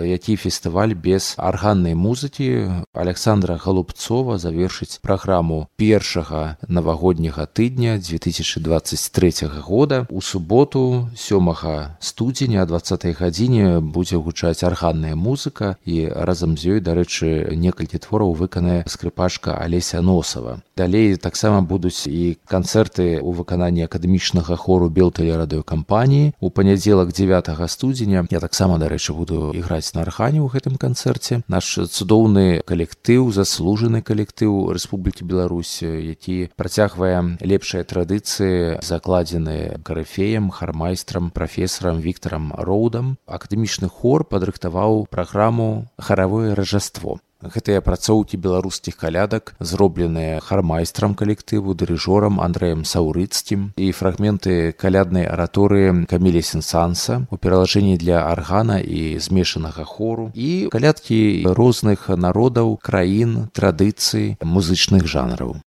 які фестываль без арганнай музыкі. Александра Голубцова завершыць праграму першага навагодняга тыдня 2023 года. У суботу 7 студзеня о 20 гадзіне будзе гучаць арганная музыка, і разам з ёй, дарэчы, некалькі твораў выканае скрыпачка Алеся Носова. Далей таксама будуць і канцэрты ў выкананні акадэмічнага хору Белтэлерадыёкампаніі. У панядзелак 9 студзеня я таксама, дарэчы, буду іграць на аргане ў гэтым канцэрце. Наш цудоўны калектыў, заслужаны калектыў Рэспублікі Беларусь, які працягвае лепшыя традыцыі, закладзеныя карыфеем, хармайстрам, прафесарам Віктарам Роудам. Акадэмічны хор падрыхтаваў праграму «Харавое ражаство». Гэтыя апрацоўкі беларускіх калядак зробленыя хармайстрам калектыву, дырыжорам Андрэем Саўрыцкім, і фрагменты каляднай араторыі Каміля Сен-Санса у пералажэнні для аргана і змешанага хору, і калядкі розных народаў, краін, традыцый, музычных жанраў.